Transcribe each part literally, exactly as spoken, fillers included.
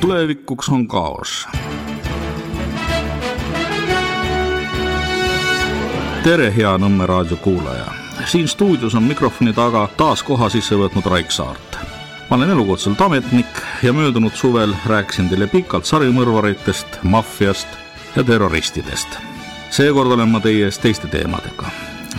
tulevikuks on kaos. Tere, hea Nõmme raadio kuulaja. Siin stuudios on mikrofoni taga taas koha sisse võtnud Raik Saart. Ma olen elukutselt ametnik ja möödunud suvel rääkisin teile pikalt sarimõrvaritest, maffiast ja terroristidest. Seekord olen ma teie ees teiste teemadega.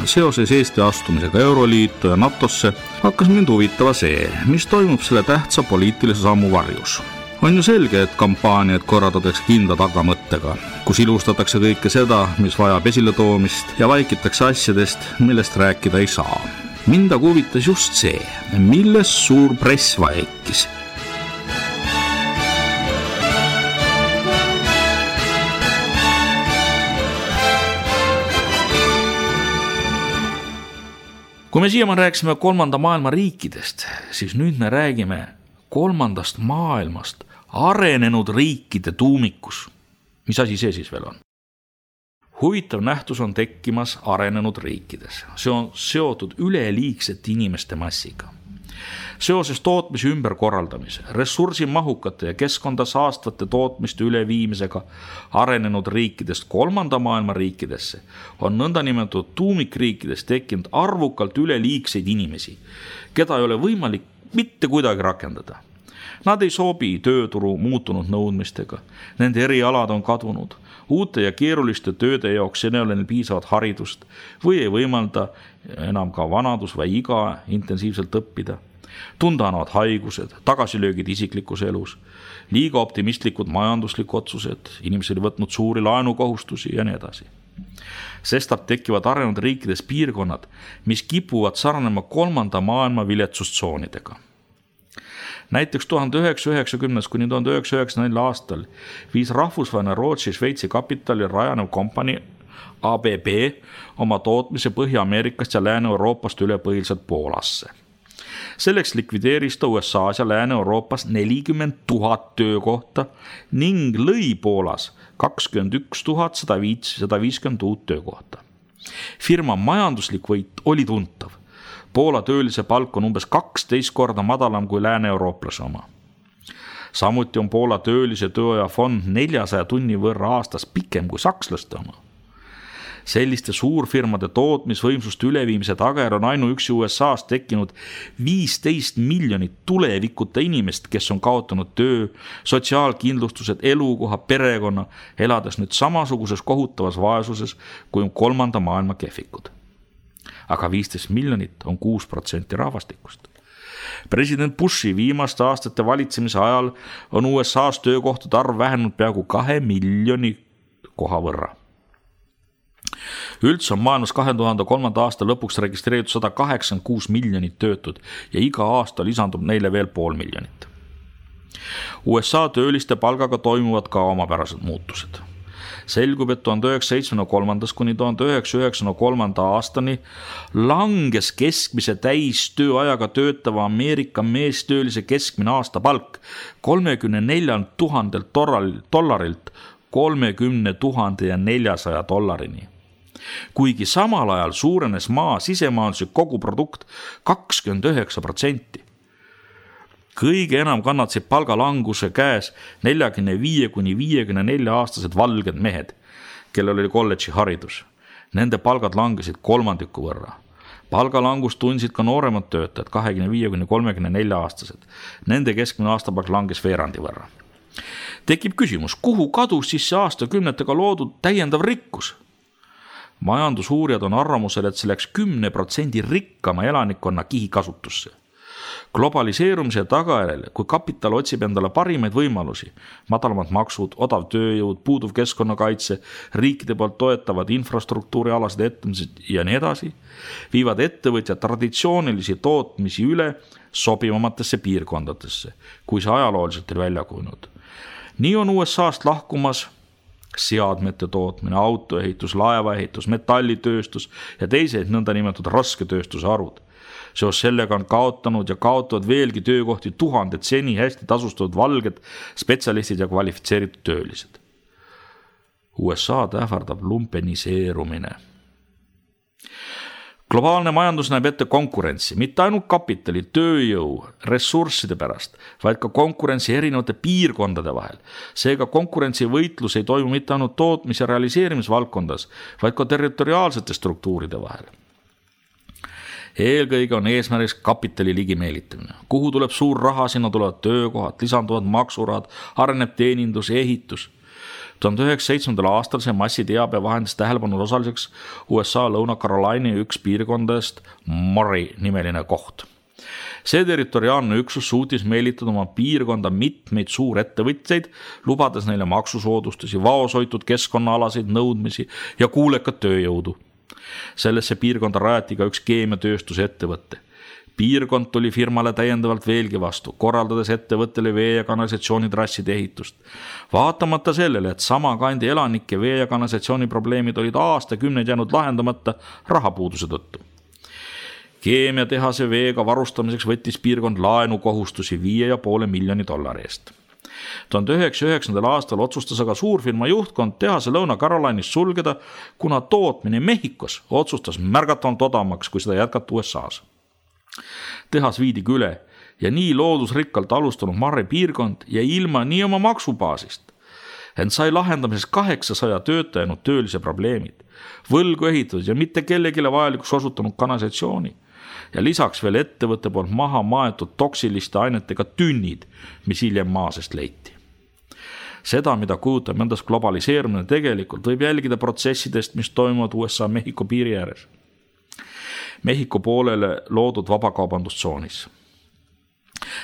Seoses Eesti astumisega Euroliitu ja NATOsse hakkas mind huvitava see, mis toimub selle tähtsa poliitilise sammu varjus. On ju selge, et kampaaniad korraldatakse kindla tagamõttega, kus ilustatakse kõike seda, mis vajab esiletoomist ja vaikitakse asjadest, millest rääkida ei saa. Mind aga huvitas just see, milles suur press vaikis. Kui me siiamaan rääkisime kolmanda maailma riikidest, siis nüüd me räägime kolmandast maailmast arenenud riikide tuumikus. Mis asi see siis veel on? Huvitav nähtus on tekkimas arenenud riikides. See on seotud üleliigsete inimeste massiga. Seoses tootmise ümberkorraldamise, ressursimahukate ja keskkonda saastavate tootmiste üleviimisega arenenud riikidest kolmanda maailma riikidesse on nõndanimetatud tuumikriikides tekkinud arvukalt üleliigseid inimesi, keda ei ole võimalik mitte kuidagi rakendada. Nad ei sobi tööturu muutunud nõudmistega, nende erialad on kadunud, uute ja keeruliste tööde jaoks ei ole neil piisavat haridust või ei võimalda enam ka vanadus või iga intensiivselt õppida. Tunda annavad haigused, tagasilöögid isiklikus elus, liiga optimistlikud majanduslikud otsused, inimesed on võtnud suuri laenukohustusi ja nii edasi. Sestap tekivad arenenud riikides piirkonnad, mis kipuvad sarnema kolmanda maailma viletsustsoonidega. Näiteks tuhande üheksasaja üheksakümnendast kuni tuhande üheksasaja üheksakümnendal aastal viis rahvusvaheline Rootsi Šveitsi kapitali rajanev kompanii A B B oma tootmise Põhja-Ameerikast ja Lääne-Euroopast üle põhiliselt Poolasse. Selleks likvideeris ta U S A's ja Lääne-Euroopas nelikümmend tuhat töökohta ning lõi Poolas kakskümmend üks tuhat sada viiskümmend uut töökohta. Firma majanduslik võit oli tuntav. Poola töölise palk on umbes kaksteist korda madalam kui Lääne-Eurooplase oma. Samuti on Poola töölise tööaja fond neljasaja tunni võrra aastas pikem kui sakslaste oma. Selliste suurfirmade tootmisvõimsuste üleviimise tagajärg on ainuüksi U S A's tekkinud viisteist miljonit tulevikuta inimest, kes on kaotanud töö, sotsiaalkindlustused, elukoha, perekonna, elades nüüd samasuguses kohutavas vaesuses kui kolmanda maailma kehvikud. Aga viisteist miljonit on kuus protsenti rahvastikust. President Bushi viimaste aastate valitsemise ajal on U S A's töökohtade arv vähenenud peaaegu kahe miljoni koha võrra. Üldse on maailmas kahe tuhande kolmanda aasta lõpuks registreeritud sada kaheksakümmend kuus miljonit töötud ja iga aasta lisandub neile veel pool miljonit. U S A tööliste palgaga toimuvad ka omapärased muutused. Selgub, et tuhande üheksasaja seitsmekümne kolmandast kuni tuhande üheksasaja üheksakümne kolmanda aastani langes keskmise täis tööajaga töötava Ameerika meestöölise keskmine aastapalk kolmekümne neljalt tuhandelt dollarilt kolmekümne tuhande neljasaja dollarini. Kuigi samal ajal suurenes maa sisemajanduslik koguprodukt kakskümmend üheksa protsenti. Kõige enam kannatasid palgalanguse käes neljakümne viie kuni viiekümne nelja aastased valged mehed, kellel oli kolledži haridus. Nende palgad langesid kolmandiku võrra. Palgalangust tundsid ka nooremad töötajad, kahekümne viie kuni kolmekümne nelja aastased. Nende keskmine aastapalk langes veerandi võrra. Tekib küsimus, kuhu kadus siis see aastakümnetega loodud täiendav rikkus? Majandusuurijad on arvamusel, et see läks kümne protsendi rikkama elanikkonna kihikasutusse. Globaliseerumise tagajärjel, kui kapital otsib endale parimaid võimalusi, madalamad maksud, odav tööjõud, puuduv keskkonnakaitse, riikide poolt toetavad infrastruktuurialased ettevõtmised ja nii edasi, viivad ettevõtjad traditsioonilisi tootmisi üle sobivamatesse piirkondadesse, kui see ajalooliselt oli välja kujunenud. Nii on U S A'st lahkumas seadmete tootmine, autoehitus, laevaehitus, metallitööstus ja teised nõndanimetatud rasketööstuse harud. Seos sellega on kaotanud ja kaotavad veelgi töökohti tuhanded seni hästi tasustatud valged spetsialistid ja kvalifitseeritud töölised. U S A ähvardab lumpeniseerumine. Globaalne majandus näeb ette konkurentsi, mitte ainult kapitali, tööjõu, ressursside pärast, vaid ka konkurentsi erinevate piirkondade vahel. Seega konkurentsivõitlus ei toimu mitte ainult tootmis- ja realiseerimisvaldkondas, vaid ka territoriaalsete struktuuride vahel. Eelkõige on eesmärgiks kapitali ligimeelitamine. Kuhu tuleb suur raha, sinna tulevad töökohad, lisanduvad maksurahad, areneb teenindus ja ehitus. tuhande üheksasaja seitsmendal aastal see massiteabe vahendis tähelepanu osaliseks U S A Lõuna-Carolina üks piirkondadest Murray nimeline koht. See territoriaalne üksus suutis meelitada oma piirkonda mitmeid suurettevõtjaid, lubades neile maksusoodustusi, vaoshoitud keskkonnaalaseid nõudmisi ja kuulekat tööjõudu. Sellesse piirkonda rajati ka üks keemiatööstuse ettevõtte. Piirkond tuli firmale täiendavalt veelgi vastu, korraldades ettevõttele vee- ja kanalisatsioonitrasside ehitust. Vaatamata sellele, et sama kandi elanike vee- ja kanalisatsiooni probleemid olid aastakümneid jäänud lahendamata rahapuuduse tõttu. Keemiatehase veega varustamiseks võttis piirkond laenukohustusi viie ja poole miljoni dollari eest. tuhande üheksasaja üheksandal aastal otsustas aga suurfirma juhtkond tehase Lõuna-Carolinas sulgeda, kuna tootmine Mehhikos otsustas märgatavalt odavamaks, kui seda jätkata U S A-s. Tehas viidi üle ja nii loodusrikkalt alustanud Murray piirkond ja ilma nii oma maksubaasist. Ent sai lahendamises kaheksasaja töötajanud töölise probleemid, võlgu ehitatud ja mitte kellegile vajalikuks osutunud kanalisatsiooni ja lisaks veel ettevõtte poolt maha maetud toksiliste ainetega tünnid, mis hiljem maasest leiti. Seda, mida kujutab endast globaliseerumine tegelikult, võib jälgida protsessidest, mis toimuvad U S A Mehhiko piiri ääres. Mehhiko poolele loodud vabakaubandustsoonis.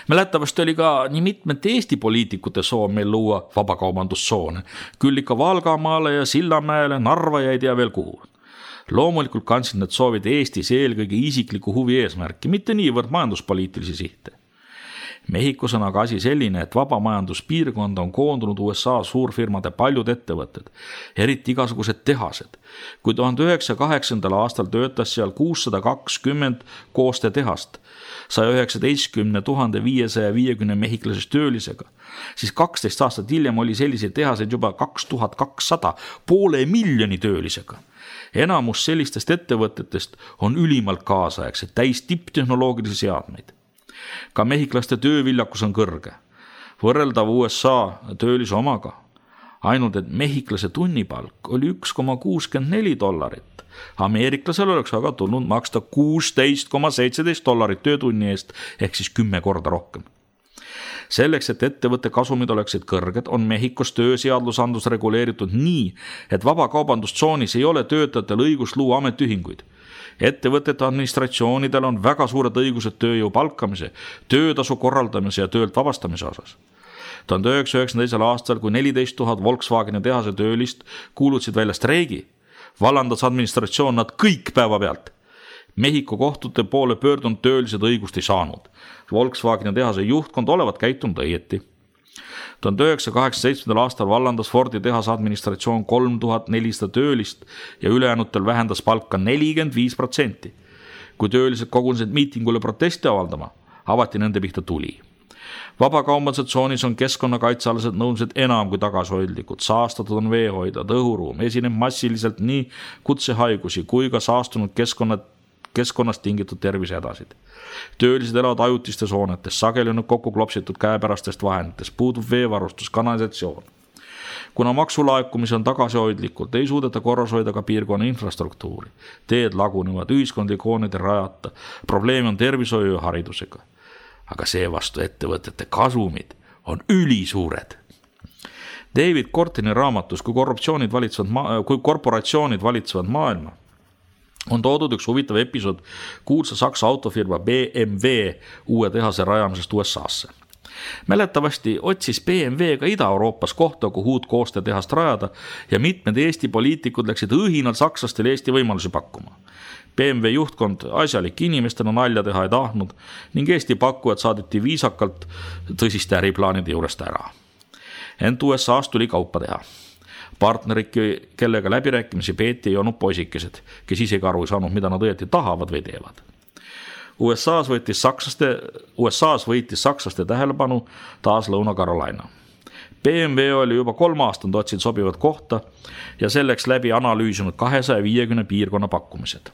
Mälettavasti oli ka nii mitmete Eesti poliitikute soov meil luua vabakaubandustsoone, küll ikka Valgamaale ja Sillamäele, Narva ja ei tea veel kuhu. Loomulikult kandsid need soovid Eestis eelkõige isikliku huvi eesmärki, mitte niivõrd majanduspoliitilisi sihte. Mehhikos on aga asi selline, et vabamajanduspiirkond on koondunud U S A suurfirmade paljud ettevõtted, eriti igasugused tehased. Kui tuhande üheksasaja kaheksandal aastal töötas seal kuussada kakskümmend koostetehast, saja üheksateistkümne tuhande viiesaja viiekümne mehhiklasest töölisega, siis kaksteist aastat hiljem oli selliseid tehaseid juba kaks tuhat kakssada poole miljoni töölisega. Enamus sellistest ettevõtetest on ülimalt kaasaegsed, täis tipptehnoloogilisi seadmeid. Ka mehhiklaste tööviljakus on kõrge, võrreldav U S A töölise omaga. Ainult, et mehhiklase tunnipalk oli üks koma kuuskümmend neli dollarit. Ameeriklasel oleks aga tulnud maksta kuusteist koma seitseteist dollarit töötunni eest, ehk siis kümme korda rohkem. Selleks, et ettevõtte kasumid oleksid kõrged, on Mehhikos tööseadlusandlus reguleeritud nii, et vabakaubandustsoonis ei ole töötajatel õigus luua ametiühinguid. Ettevõtete administratsioonidel on väga suured õigused tööjõu palkamise, töötasu korraldamise ja töölt vabastamise osas. tuhande üheksasaja üheksakümne teisel aastal, kui neliteist tuhat Volkswageni tehase töölist kuulutasid välja streigi, vallandas administratsioon nad kõik päevapealt. Mehhiko kohtute poole pöördunud töölised õigust ei saanud. Volkswageni tehase juhtkond olevat käitunud õieti. tuhande üheksasaja kaheksakümne seitsmendal aastal vallandas Fordi tehase administratsioon kolm tuhat nelisada töölist ja ülejäänutel vähendas palka nelikümmend viis protsenti. Kui töölised kogunesid miitingule protesti avaldama, avati nende pihta tuli. Vabakaubandustsoonis on keskkonnakaitsealased nõudmised enam kui tagasihoidlikud, saastatud on veehoidlad, õhuruum, esineb massiliselt nii kutsehaigusi kui ka saastunud keskkonnad keskkonnast tingitud tervisehädasid. Töölised elavad ajutistes hoonetes, sageli on kokku klopsitud käepärastest vahenditest, puudub veevarustus, kanalisatsioon. Kuna maksulaekumise on tagasihoidlikult, ei suudeta korras hoida ka piirkonna infrastruktuuri. Teed lagunevad, ühiskondlik hooned ei rajata, probleem on tervishoiu ja haridusega. Aga seevastu ettevõtete kasumid on ülisuured. David Kortini raamatus, kui, korruptsioonid valitsevad ma- kui korporatsioonid valitsevad maailma, on toodud üks huvitav episood kuulsa saksa autofirma B M W uue tehase rajamisest U S A-sse. Mäletavasti otsis B M W ka Ida-Euroopas kohta, kuhu uut koostetehast rajada ja mitmed Eesti poliitikud läksid õhinal sakslastele Eesti võimalusi pakkuma. B M W juhtkond asjalik inimestena nalja teha ei tahtnud ning Eesti pakkujad saadeti viisakalt tõsiste äriplaanide juurest ära. Ent U S A-st tuli kaupa teha. Partnerid, kellega läbirääkimisi peeti, ei olnud poisikesed, kes isegi aru ei saanud, mida nad õieti tahavad või teevad. U S A-s võitis sakslaste, U S A-s võitis sakslaste tähelepanu taas Lõuna-Carolina. B M W oli juba kolm aastat otsinud sobivat kohta ja selleks läbi analüüsinud kahesaja viiekümne piirkonna pakkumised.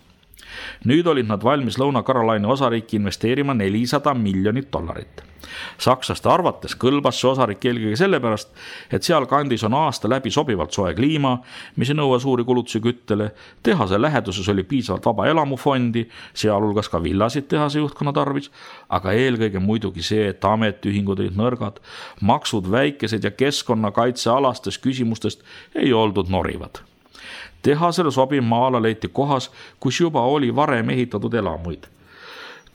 Nüüd olid nad valmis Lõuna-Carolina osariiki investeerima nelisada miljonit dollarit. Sakslaste arvates kõlbas see osarik eelkõige sellepärast, et seal kandis on aasta läbi sobivalt soe kliima, mis ei nõua suuri kulutusi küttele, tehase läheduses oli piisavalt vaba elamufondi, sealhulgas ka villasid tehase juhtkonna tarvis, aga eelkõige muidugi see, et ametiühingud olid nõrgad, maksud väikesed ja keskkonnakaitsealastes küsimustest ei oldud norivad. Tehasele sobiv maala leiti kohas, kus juba oli varem ehitatud elamuid.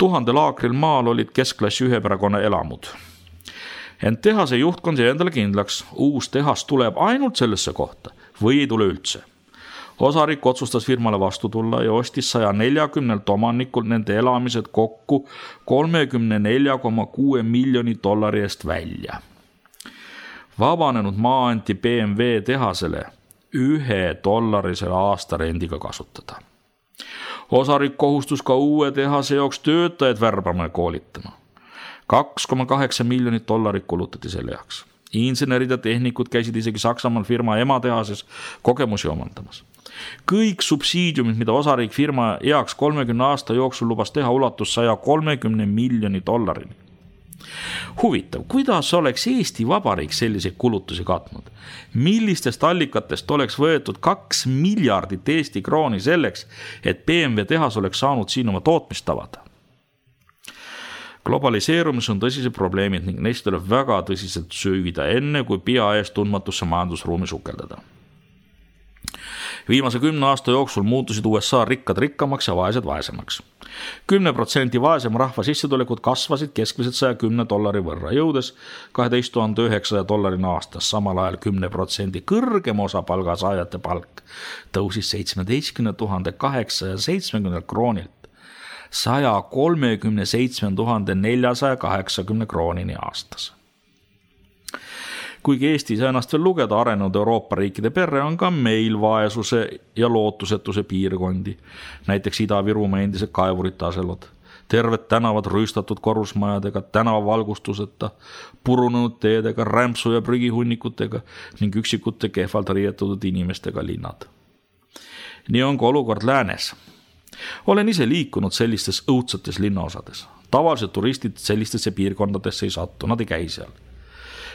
Tuhandel aakril maal olid keskklassi üheperekonna elamud. Ent tehase juhtkond jäi endale kindlaks, uus tehas tuleb ainult sellesse kohta või ei tule üldse. Osarik otsustas firmale vastu tulla ja ostis saja neljakümnelt omanikult nende elamised kokku kolmekümne nelja koma kuue miljoni dollari eest välja. Vabanenud maa anti B M W tehasele ühe dollarisele aastarendiga kasutada. Osarik kohustus ka uue tehase jaoks töötajad värbama ja koolitama. kaks koma kaheksa miljonit dollarit kulutati selle jaoks. Insenerid ja tehnikud käisid isegi Saksamaal firma ematehases kogemusi omandamas. Kõik subsiidiumid, mida osarik firma heaks kolmekümne aasta jooksul lubas teha, ulatus saja kolmekümne miljoni dollarini. Huvitav, kuidas oleks Eesti Vabariik selliseid kulutusi katnud? Millistest allikatest oleks võetud kaks miljardit Eesti krooni selleks, et B M W tehas oleks saanud siin oma tootmist avada? Globaliseerumis on tõsised probleemid ning neist tuleb väga tõsiselt süüvida enne, kui pea ees tundmatusse majandusruumi sukeldada. Viimase kümne aasta jooksul muutusid U S A rikkad rikkamaks ja vaesed vaesemaks. kümne protsendi vaesema rahva sissetulekud kasvasid keskmiselt saja kümne dollari võrra, jõudes kaheteist tuhande üheksasaja dollarini aastas, samal ajal kümne protsendi kõrgem osa palgasaajate palk tõusis seitsmeteistkümne tuhande kaheksasaja seitsmekümne kroonilt saja kolmekümne seitsme tuhande neljasaja kaheksakümne kroonini aastas. Kuigi Eesti sai ennast veel lugeda arenenud Euroopa riikide perre, on ka meil vaesuse ja lootusetuse piirkondi, näiteks Ida-Virumaa endised kaevurite aselud, terved tänavad rüüstatud korrusmajadega, tänavavalgustuseta, purunenud teedega, rämpsu ja prügihunnikutega ning üksikute kehvalt riietutud inimestega linnad. Nii on ka olukord läänes. Olen ise liikunud sellistes õudsetes linnaosades. Tavaliselt turistid sellistesse piirkondadesse ei sattu, nad ei käi seal.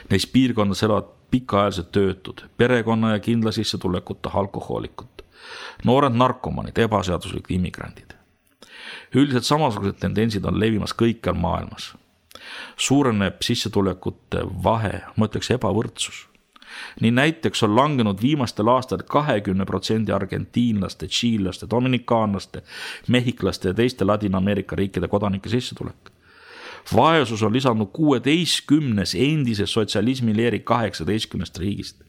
Neis piirkondades elavad pikaajalised töötud, perekonna ja kindla sissetulekute alkohoolikud, noored narkomanid, ebaseaduslikud immigrandid. Üldiselt samasugused tendentsid on levimas kõikjal maailmas. Suureneb sissetulekute vahe, ma ütleks ebavõrdsus. Nii näiteks on langenud viimastel aastal kahekümne protsendi argentiinlaste, tšiillaste, dominikaanlaste, mehhiklaste ja teiste Ladina-Ameerika riikide kodanike sissetulek. Vaesus on lisanud kuueteistkümnes endise sotsialismi leeri kaheksateistkümnest riigist.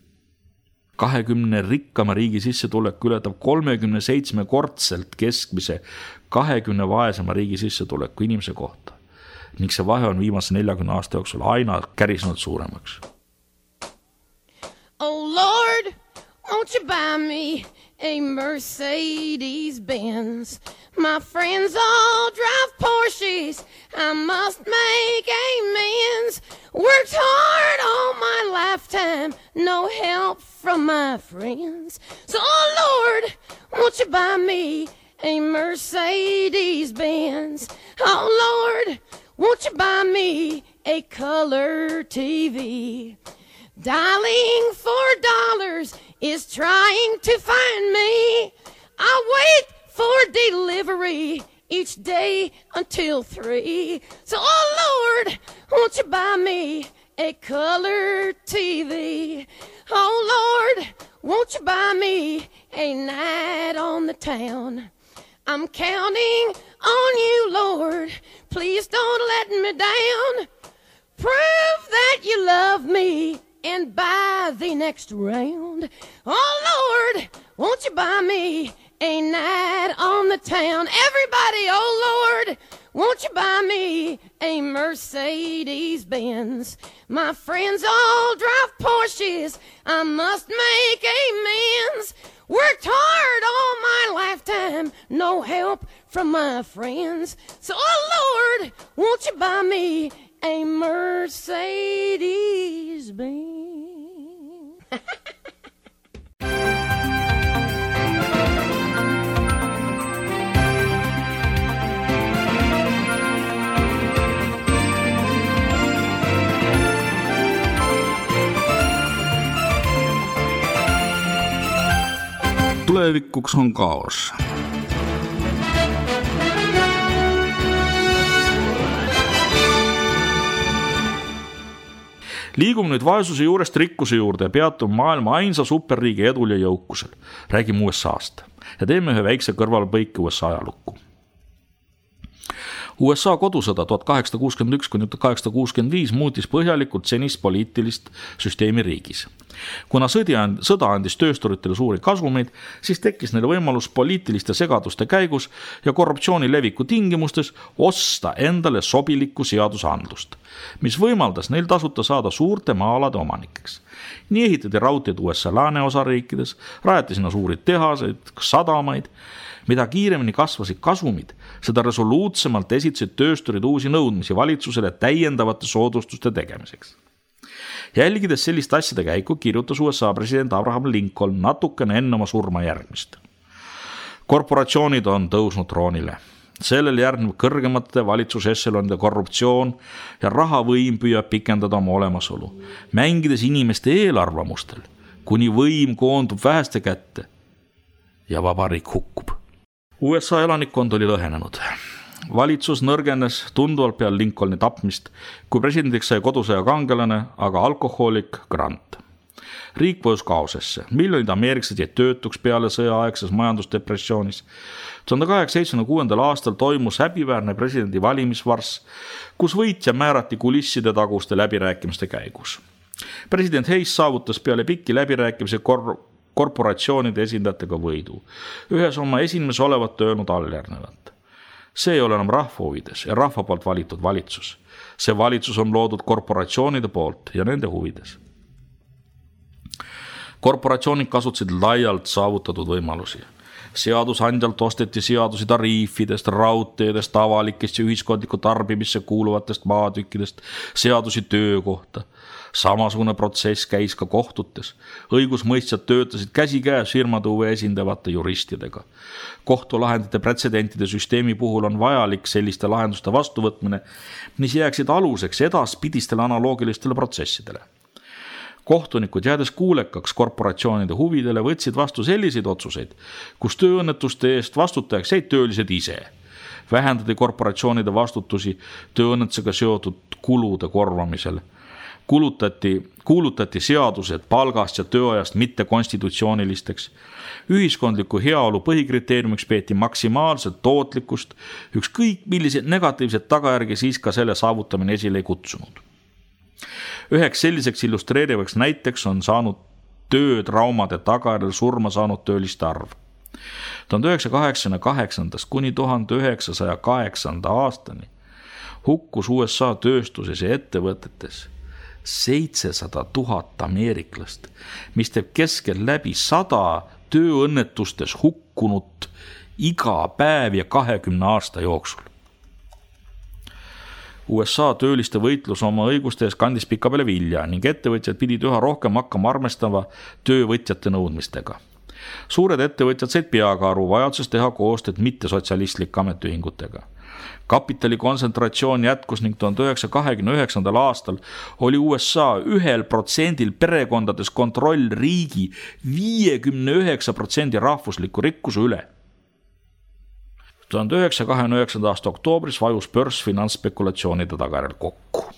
kahekümne rikkama riigi sissetulek ületab kolmekümne seitsme kordselt keskmise kahekümne vaesema riigi sissetuleku inimese kohta. Ning see vahe on viimase neljakümne aasta jooksul aina kärisnud suuremaks. Oh Lord, won't you buy me a Mercedes Benz? My friends all drive Porsches, I must make amends. Worked hard all my lifetime, no help from my friends. So oh Lord, won't you buy me a Mercedes Benz? Oh Lord, won't you buy me a color T V? Dialing for dollars is trying to find me. I wait for delivery each day until three. So, oh Lord, won't you buy me a color T V? Oh Lord, won't you buy me a night on the town? I'm counting on you, Lord. Please don't let me down. Prove that you love me and buy the next round. Oh Lord, won't you buy me a night on the town? Everybody, oh Lord, won't you buy me a Mercedes Benz? My friends all drive Porsches, I must make amends. Worked hard all my lifetime, no help from my friends. So, oh Lord, won't you buy me a Mercedes Benz? tulevikuks on kaos. Liigume nüüd vaesuse juurest rikkuse juurde ja peatume maailma ainsa superriigi edul ja jõukusel. Räägime U S A-st ja teeme ühe väikse kõrvalpõike U S A ajalukku. U S A kodusõda tuhat kaheksasada kuuskümmend üks kuni tuhat kaheksasada kuuskümmend viis muutis põhjalikult senist poliitilist süsteemi riigis. Kuna sõda andis töösturitele suuri kasumeid, siis tekkis neil võimalus poliitiliste segaduste käigus ja korruptsiooni leviku tingimustes osta endale sobilikku seadusandlust, mis võimaldas neil tasuta saada suurte maa-alade omanikeks. Nii ehitati raudteed U S A lääneosariikides, rajati sinna suuri tehaseid, sadamaid. Mida kiiremini kasvasid kasumid, seda resoluutsemalt esitasid töösturid uusi nõudmisi valitsusele täiendavate soodustuste tegemiseks. Jälgides sellist asjade käiku kirjutas U S A president Abraham Lincoln natukene enne oma surma järgmist. Korporatsioonid on tõusnud troonile. Sellel järgneb kõrgemate valitsusesselonide korruptsioon ja rahavõim püüab pikendada oma olemasolu, mängides inimeste eelarvamustel, kuni võim koondub väheste kätte ja vabariik hukkub. U S A elanikkond oli lõhenenud. Valitsus nõrgenes tunduvalt peal Lincolni tapmist, kui presidendiks sai kodusõja kangelane, aga alkohoolik Grant. Riik vajus kaosesse. Miljonid ameeriklased jäid töötuks peale sõjaaegses majandusdepressioonis. tuhande kaheksasaja seitsmekümne kuuendal aastal toimus häbiväärne presidendi valimisvarss, kus võitja määrati kulisside taguste läbirääkimiste käigus. President Hayes saavutas peale pikki läbirääkimise kor- korporatsioonide esindajatega võidu. Ühes oma esimeses olevat öelnud alljärnevat. See ei ole enam rahva huvides ja rahva poolt valitud valitsus. See valitsus on loodud korporatsioonide poolt ja nende huvides. Korporatsioonid kasutasid laialt saavutatud võimalusi. Seadusandjalt osteti seadusi tariifidest, raudteedest, avalikest ja ühiskondliku tarbimisse kuuluvatest maatükkidest, seadusi töökohta. Samasugune protsess käis ka kohtutes. Õigusmõistjad töötasid käsikäes firmade huve esindavate juristidega. Kohtulahendite pretsedentide süsteemi puhul on vajalik selliste lahenduste vastuvõtmine, mis jääksid aluseks edaspidistele analoogilistele protsessidele. Kohtunikud jäädes kuulekaks korporatsioonide huvidele võtsid vastu selliseid otsuseid, kus tööõnnetuste eest vastutajaks jäid töölised ise. Vähendati korporatsioonide vastutusi tööõnnetusega seotud kulude korvamisel. Kulutati, kuulutati seadused palgast ja tööajast mitte konstitutsioonilisteks. Ühiskondliku heaolu põhikriteeriumiks peeti maksimaalset tootlikkust, ükskõik milliseid negatiivsed tagajärgi siis ka selle saavutamine esile ei kutsunud. Üheks selliseks illustreerivaks näiteks on saanud töötraumade tagajärjel surma saanud tööliste arv. tuhande üheksasaja kaheksakümne kaheksandast kuni tuhande üheksasaja kaheksanda aastani hukkus U S A tööstuses ja ettevõtetes seitsesada tuhat ameeriklast, mis teeb keskel läbi sada tööõnnetustes hukkunut iga päev ja kahekümne aasta jooksul. U S A tööliste võitlus oma õiguste ees kandis pika peale vilja ning ettevõtjad pidid üha rohkem hakkama armestama töövõtjate nõudmistega. Suured ettevõtjad said peaga aru vajadusest teha koostööd mitte sotsialistlike ametiühingutega. Kapitali kontsentratsioon jätkus ning tuhande üheksasaja kahekümne üheksandal aastal oli U S A ühel protsendil perekondades kontroll riigi viiekümne üheksa protsendi rahvusliku rikkuse üle. tuhande üheksasaja kahekümne üheksanda aasta oktoobris vajus börs finantsspekulatsioonide tagajärjel kokku.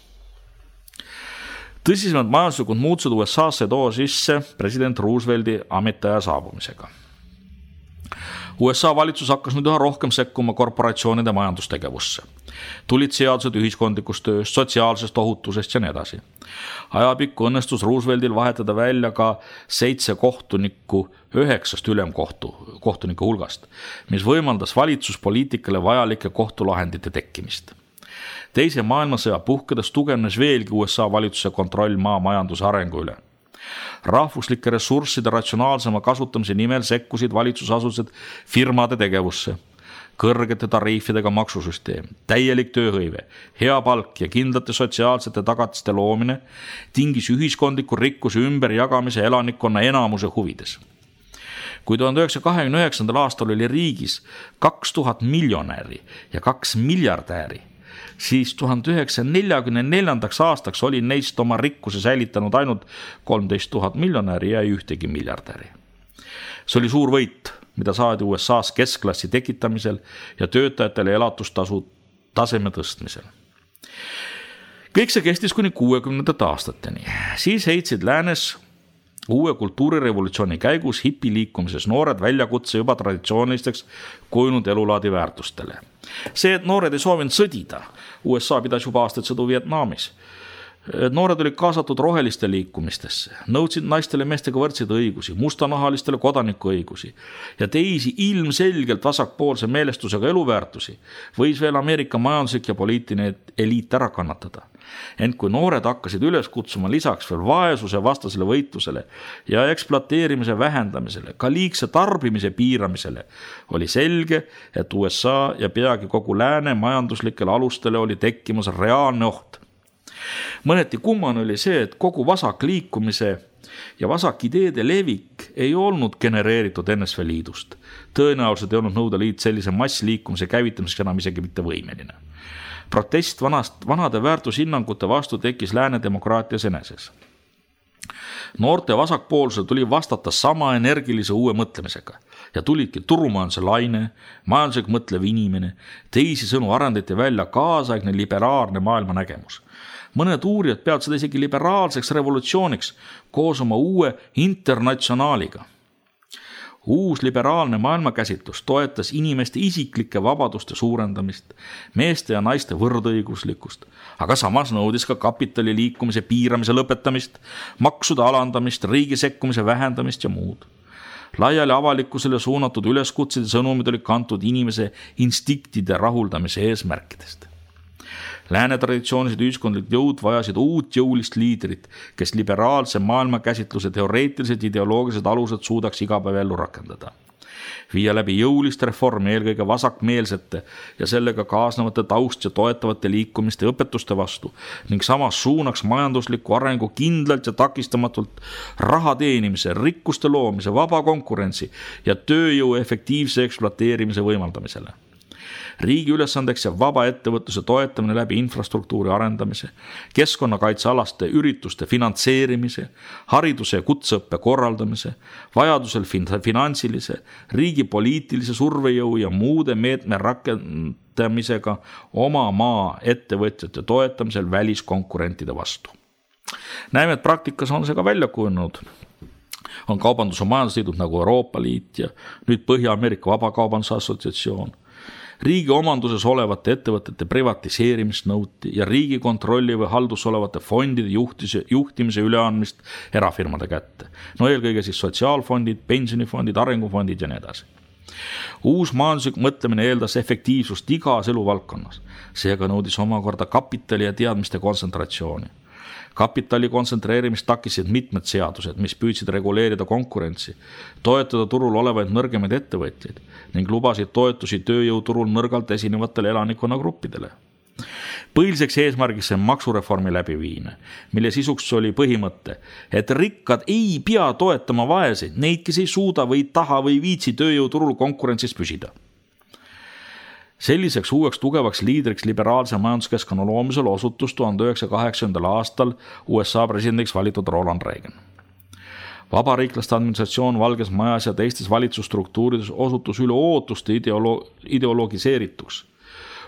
Tõsisemad majanduslikud muutused U S A-sse too sisse president Roosevelti ametiaja saabumisega. U S A valitsus hakkas nüüd üha rohkem sekkuma korporatsioonide majandustegevusse. Tulid seadused ühiskondlikust tööst, sotsiaalsest ohutusest ja nii edasi. Ajapikku õnnestus Rooseveltil vahetada välja ka seitse kohtunikku üheksast ülemkohtu kohtuniku hulgast, mis võimaldas valitsuspoliitikale vajalike kohtulahendite tekkimist. Teise maailmasõja puhkedes tugevnes veelgi U S A valitsuse kontroll maa majanduse arengu üle. Rahvuslike ressursside ratsionaalsema kasutamise nimel sekkusid valitsusasutused firmade tegevusse. Kõrgete tariifidega maksusüsteem, täielik tööhõive, hea palk ja kindlate sotsiaalsete tagatiste loomine tingis ühiskondliku rikkuse ümberjagamise elanikkonna enamuse huvides. Kui tuhande üheksasaja kahekümne üheksandal aastal oli riigis kaks tuhat miljonäri ja kaks miljardääri, siis tuhande üheksasaja neljakümne neljandaks aastaks oli neist oma rikkuse säilitanud ainult kolmteist tuhat miljonäri ja ühtegi miljardäri. See oli suur võit, mida saadi U S A-s keskklassi tekitamisel ja töötajatele elatustasu taseme tõstmisel. Kõik see kestis kuni kuuekümnendate aastateni. Siis heitsid läänes uue kultuurirevolutsiooni käigus hipiliikumises noored väljakutse juba traditsioonilisteks kujunud elulaadi väärtustele. See, et noored ei soovinud sõdida, U S A pidas juba aastaid sõdu Vietnamis. Noored olid kaasatud roheliste liikumistesse, nõudsid naistele meestega võrdseid õigusi, mustanahalistele kodanikuõigusi ja teisi ilmselgelt vasakpoolse meelestusega eluväärtusi võis veel Ameerika majanduslik ja poliitiline eliit ära kannatada. Ent kui noored hakkasid üles kutsuma lisaks veel vaesuse vastasele võitlusele ja ekspluateerimise vähendamisele, ka liigse tarbimise piiramisele, oli selge, et U S A ja peagi kogu lääne majanduslikele alustele oli tekkimas reaalne oht. Mõneti kummane oli see, et kogu vasak liikumise ja vasak ideede levik ei olnud genereeritud N S V Liidust. Tõenäoliselt ei olnud Nõukogude Liit sellise massliikumise käivitamiseks enam isegi mitte võimeline. Protest vanast, vanade väärtushinnangute vastu tekkis lääne demokraatias eneses. Noorte vasakpoolsel tuli vastata sama energilise uue mõtlemisega ja tulidki turumajanduse laine, majanduslik mõtlev inimene, teisi sõnu arendati välja kaasaegne liberaalne maailmanägemus. Mõned uurijad peavad seda isegi liberaalseks revolutsiooniks koos oma uue internatsionaaliga. Uus liberaalne maailmakäsitlus toetas inimeste isiklike vabaduste suurendamist, meeste ja naiste võrdõiguslikkust, aga samas nõudis ka kapitali liikumise piiramise lõpetamist, maksude alandamist, riigi sekkumise vähendamist ja muud. Laiali avalikkusele suunatud üleskutsed ja sõnumid olid kantud inimese instinktide rahuldamise eesmärkidest. Lääne traditsioonilised ühiskondlikud jõud vajasid uut jõulist liidrit, kes liberaalse maailmakäsitluse teoreetilised ideoloogilised alused suudaks igapäev ellu rakendada. Viia läbi jõulist reformi eelkõige vasakmeelsete ja sellega kaasnevate taust ja toetavate liikumiste õpetuste vastu ning samas suunaks majandusliku arengu kindlalt ja takistamatult raha teenimise, rikkuste loomise, vaba konkurentsi ja tööjõu efektiivse ekspluateerimise võimaldamisele. Riigi ülesandeks ja vaba ettevõtluse toetamine läbi infrastruktuuri arendamise, keskkonnakaitsealaste ürituste finantseerimise, hariduse ja kutseõppe korraldamise, vajadusel finantsilise, riigi poliitilise survejõu ja muude meetme rakendamisega oma maa ettevõtjate toetamisel väliskonkurentide vastu. Näeme, et praktikas on see ka välja kujunenud. On kaubandus- ja majandusliidud nagu Euroopa Liit ja nüüd Põhja-Ameerika Vabakaubanduse Assotsiatsioon. Riigi omanduses olevate ettevõtete privatiseerimist nõuti ja riigi kontrolli või haldus olevate fondide juhtise, juhtimise üleandmist erafirmade kätte. No eelkõige siis sotsiaalfondid, pensionifondid, arengufondid ja nii edasi. Uus majanduslik mõtlemine eeldas efektiivsust igas eluvaldkonnas. Seega nõudis omakorda kapitali ja teadmiste kontsentratsiooni. Kapitali kontsentreerimist takisid mitmed seadused, mis püüdsid reguleerida konkurentsi, toetada turul olevaid nõrgemaid ettevõtjaid ning lubasid toetusi tööjõuturul nõrgalt esinevatele elanikkonnagruppidele. Põhiliseks eesmärgiks on maksureformi läbiviimine, mille sisuks oli põhimõte, et rikkad ei pea toetama vaeseid, neid, kes ei suuda või taha või viitsi tööjõuturul konkurentsis püsida. Selliseks uueks tugevaks liidriks liberaalse majanduskeskkonna loomisel osutus tuhande üheksasaja kaheksakümnendal aastal U S A presidendiks valitud Ronald Reagan. Vabariiklaste administratsioon Valges Majas ja teistes valitsusstruktuurides osutus üle ootuste ideolo- ideologiseerituks.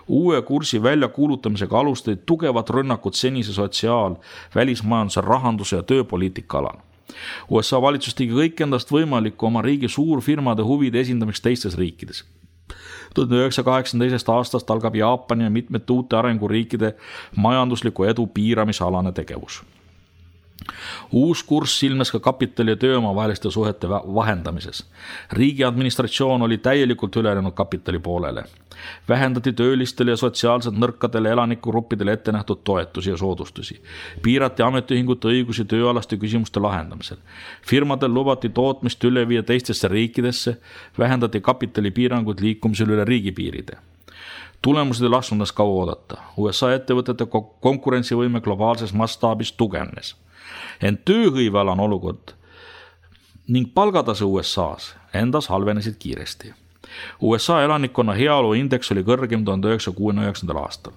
Uue kursi väljakuulutamisega alustasid tugevat rünnakud senise sotsiaal-, välismajanduse, rahanduse ja tööpoliitika alal. U S A valitsus tegi kõik endast võimalikku oma riigi suurfirmade huvide esindamiseks teistes riikides. tuhande üheksasaja kaheksakümne teisest aastast algab Jaapani ja mitmete uute arenguriikide majandusliku edu piiramisalane tegevus. Uus kurss silmes ka kapitali ja tööma vaheliste suhete vahendamises. Riigi administratsioon oli täielikult ülejäänud kapitali poolele. Vähendati töölistele ja sotsiaalselt nõrkadele elanikugruppidele ette nähtud toetusi ja soodustusi. Piirati ametiühingute õigusi tööalaste küsimuste lahendamisel. Firmadel lubati tootmist üle viia teistesse riikidesse, vähendati kapitali piirangud liikumisel üle riigipiiride. Tulemused ei lasknud kaua oodata. U S A ettevõtete konkurentsivõime globaalses mastaabis tugevnes. Ent tööhõivealane olukord ning palgatase U S A-s endas halvenesid kiiresti. U S A elanikkonna heaolu indeks oli kõrgem tuhande üheksasaja kuuekümne üheksandal aastal.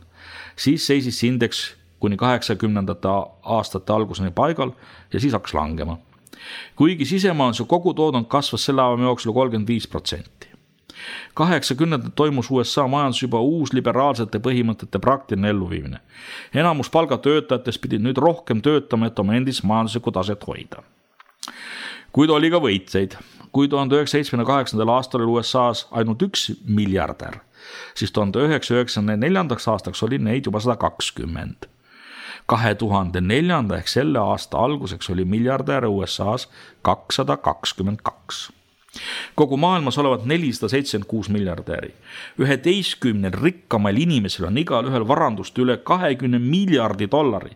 Siis seisis indeks kuni kaheksakümnendate aastate alguseni paigal ja siis hakkas langema. kuigi sisemajanduse kogutoodang kasvas selle ajal jooksul kolmkümmend viis protsenti. kaheksakümnendatel toimus U S A majandus juba uus liberaalsete põhimõtete praktiline elluviimine. Enamus palgatöötajatest pidid nüüd rohkem töötama, et oma endist majanduslikku taset hoida. Kuid oli ka võitseid. Kui tuhande üheksasaja seitsmekümne kaheksandal aastal oli U S A's ainult üks miljardär, siis tuhande üheksasaja üheksakümne neljandaks aastaks oli neid juba sada kakskümmend. kahe tuhande neljanda ehk selle aasta alguseks oli miljardäre U S A's kakssada kakskümmend kaks. Kogu maailmas olevat nelisada seitsekümmend kuus miljardäri. üheteistkümnel rikkamal inimesel on igal ühel varandust üle kahekümne miljardi dollari.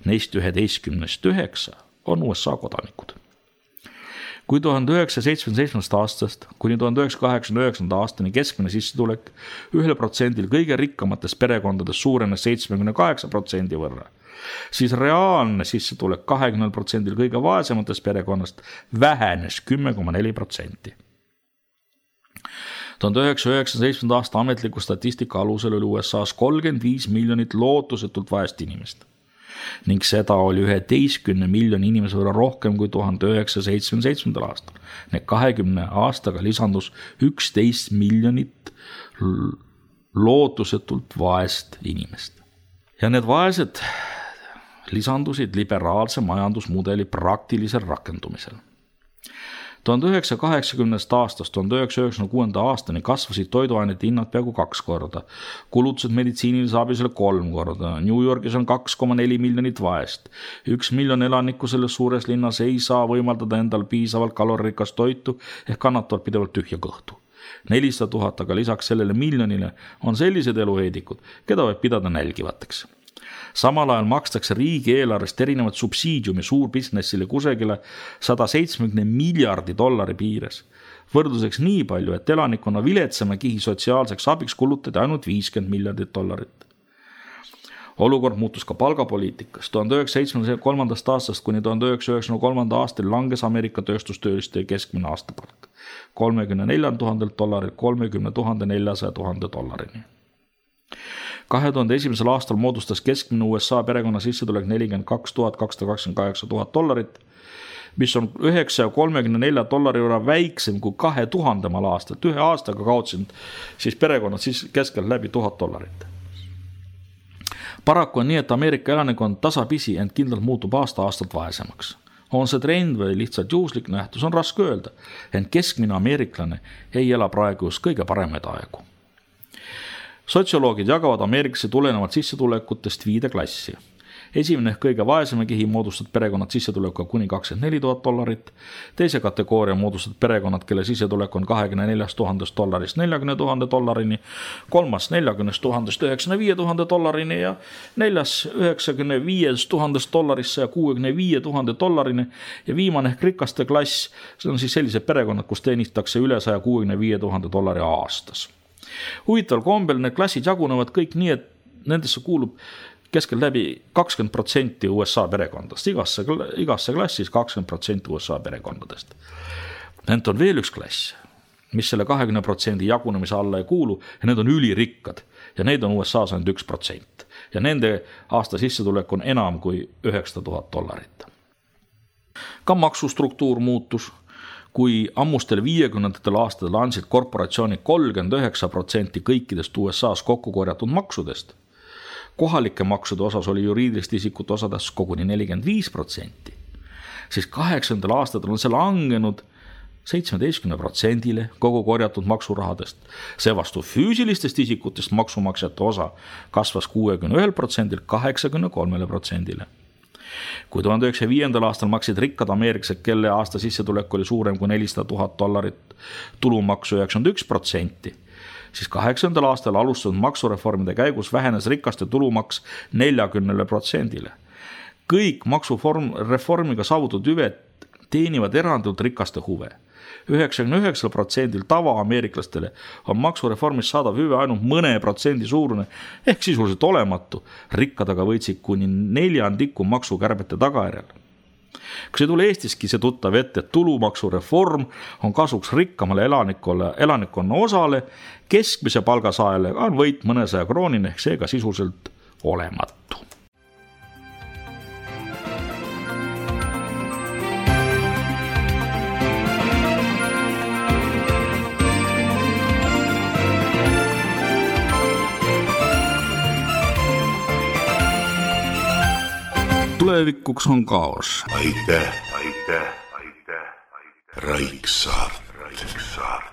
Neist üheteistkümnest üheksa on U S A kodanikud. Kui tuhande üheksasaja seitsmekümne seitsmendast aastast kuni tuhande üheksasaja kaheksakümne üheksanda aastani keskmine sissetulek ühel protsendil kõige rikkamatest perekondades suurenes seitsmekümne kaheksa protsendi võrra, siis reaalne sissetulek kahekümnel protsendil kõige vaesematest perekonnast vähenes kümme koma neli protsenti. tuhande üheksasaja üheksakümne seitsmenda aasta ametliku statistika alusel oli U S A's kolmkümmend viis miljonit lootusetult vaest inimest ning seda oli üheteistkümne miljoni inimese võrra rohkem kui tuhande üheksasaja seitsmekümne seitsmendal aastal. Need kahekümne aastaga lisandus üksteist miljonit lootusetult vaest inimest. Ja need vaesed lisandusid liberaalse majandusmudeli praktilisel rakendumisel. tuhande üheksasaja kaheksakümnendast aastast tuhande üheksasaja üheksakümne kuuenda aastani kasvasid toiduainete hinnad peaaegu kaks korda, kulutused meditsiinilise abisele kolm korda, New Yorgis on kaks koma neli miljonit vaest, üks miljon elanikku selles suures linnas ei saa võimaldada endal piisavalt kalorikast toitu ehk kannatavad pidevalt tühja kõhtu. nelisada tuhat aga lisaks sellele miljonile on sellised eluheedikud, keda võib pidada nälgivateks. Samal ajal makstakse riigieelarvest erinevat subsiidiumi suurbusinessile kusagile sada seitsekümmend miljardi dollari piires. Võrdluseks nii palju, et elanikkonna viletsama kihi sotsiaalseks abiks kulutati ainult viiskümmend miljardit dollarit. Olukord muutus ka palgapoliitikas. tuhande üheksasaja seitsmekümne kolmandast aastast kuni tuhande üheksasaja üheksakümne kolmanda aastal langes Ameerika tööstustööliste keskmine aastapalk kolmekümne nelja tuhandelt dollarilt kolmekümne tuhande neljasaja tuhande dollarini. kahe tuhande esimesel aastal moodustas keskmine U S A perekonna sissetulek nelikümmend kaks tuhat kakssada kakskümmend kaheksa tuhat dollarit, mis on üheksasaja kolmekümne nelja dollari võrra väiksem kui kahe tuhandemal aastat. Ühe aastaga kaotsid siis perekonnad siis keskelt läbi tuhat dollarit. Paraku on nii, et Ameerika elanikkond tasapisi ent kindlalt muutub aasta-aastalt vaesemaks. On see trend või lihtsalt juhuslik nähtus, on raske öelda, ent keskmine ameeriklane ei ela praegu just kõige paremaid aegu. Sotsioloogid jagavad Ameerikasse tulenevalt sissetulekutest viide klassi. Esimene ehk kõige vaesema kihi moodustavad perekonnad sissetulekuga kuni kakskümmend neli tuhat dollarit. Teise kategooria moodustavad perekonnad, kelle sissetulek on kahekümne neljast tuhandest dollarist neljakümne tuhande dollarini, kolmas neljakümnest tuhandest üheksakümne viie tuhande dollarini ja neljas üheksakümne viiest tuhandest dollarist saja kuuekümne viie tuhande dollarini ja viimane ehk rikaste klass, see on siis sellised perekonnad, kus teenitakse üle saja kuuekümne viie tuhande dollari aastas. Huvitaval kombel need klassid jagunevad kõik nii, et nendesse kuulub keskel läbi kakskümmend protsenti U S A perekondadest, igasse, igasse klassis kakskümmend protsenti U S A perekondadest. Ent on veel üks klass, mis selle kahekümne protsendi jagunemise alla ei kuulu ja need on ülirikkad ja neid on U S A's ainult üks protsent ja nende aasta sissetulek on enam kui üheksasada tuhat dollarit. Ka maksustruktuur muutus. Kui ammustel viiekümnendatel aastatel andsid korporatsioonid kolmkümmend üheksa protsenti kõikidest U S A's kokku korjatud maksudest, kohalike maksude osas oli juriidiliste isikute osadest koguni nelikümmend viis protsenti, siis kaheksakümnendatel aastatel on see langenud seitsmeteistkümne protsendile kogu korjatud maksurahadest. See vastu füüsilistest isikutest maksumaksjate osa kasvas kuuekümne ühelt protsendilt kaheksakümne kolmele protsendile. Kui tuhande üheksasaja viiendal aastal maksid rikkad ameeriklased, kelle aasta sissetulek oli suurem kui nelisada tuhat dollarit, tulumaksu üheksakümmend üks protsenti, siis kaheksakümnendal aastal alustatud maksureformide käigus vähenes rikaste tulumaks neljakümnele protsendile. Kõik maksureformiga saavutatud hüved teenivad erandult rikaste huve. üheksakümne üheksal protsendil tavaameeriklastele on maksureformist saadav hüve ainult mõne protsendi suurune ehk sisuliselt olematu. Rikkad aga võitsid kuni neljandiku maksukärbete tagajärjel. Kas ei tule Eestiski see tuttav ette, et tulumaksureform on kasuks rikkamale elanikkonna osale, keskmise palgasaajale on võit mõnesaja kroonine ehk seega sisuliselt olematu. tulevikuks on kaos. aitäh, aitäh, aitäh, aitäh. Raiksaart, Raiksaart.